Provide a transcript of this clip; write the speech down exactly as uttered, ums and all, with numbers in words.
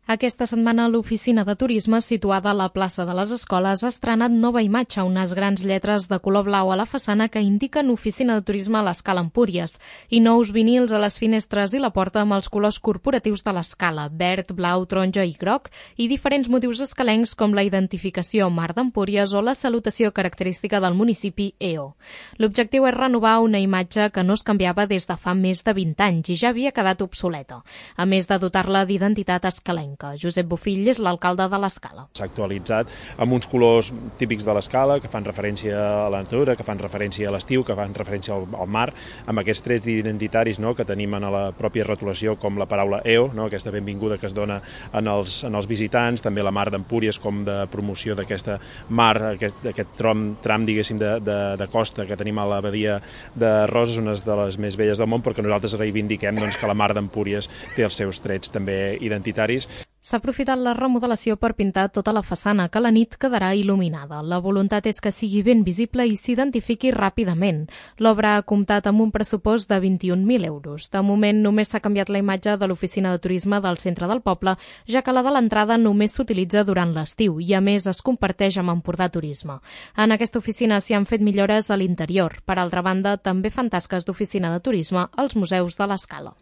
Aquesta setmana l'oficina de turisme situada a la plaça de les Escoles ha estrenat nova imatge, unes grans lletres de color blau a la façana que indiquen oficina de turisme a l'Escala Empúries i nous vinils a les finestres i la porta amb els colors corporatius de l'Escala, verd, blau, taronja i groc, i diferents motius escalencs com la identificació Mar d'Empúries o la salutació característica del municipi E O. L'objectiu és renovar una imatge que no es canviava des de fa més de vint anys i ja havia quedat obsoleta, a més de dotar-la d'identitat escalenca. Josep Bofill és l'alcalde de l'Escala. S'ha actualitzat amb uns colors típics de l'Escala que fan referència a la natura, que fan referència a l'estiu, que fan referència al, al mar, amb aquests trets identitaris, no?, que tenim en la pròpia rotulació, com la paraula E O, no?, aquesta benvinguda que es dona en els, en els visitants, també la Mar d'Empúries com de promoció d'aquesta mar, aquest, aquest tram, tram diguéssim, de, de, de costa que tenim a la badia de Roses, una de les més belles del món, perquè nosaltres reivindiquem doncs, que la Mar d'Empúries té els seus trets també identitaris. S'ha aprofitat la remodelació per pintar tota la façana, que a la nit quedarà il·luminada. La voluntat és que sigui ben visible i s'identifiqui ràpidament. L'obra ha comptat amb un pressupost de vint-i-un mil euros. De moment només s'ha canviat la imatge de l'oficina de turisme del centre del poble, ja que la de l'entrada només s'utilitza durant l'estiu i a més es comparteix amb Empordà Turisme. En aquesta oficina s'hi han fet millores a l'interior. Per altra banda, també fan tasques d'oficina de turisme als museus de l'Escala.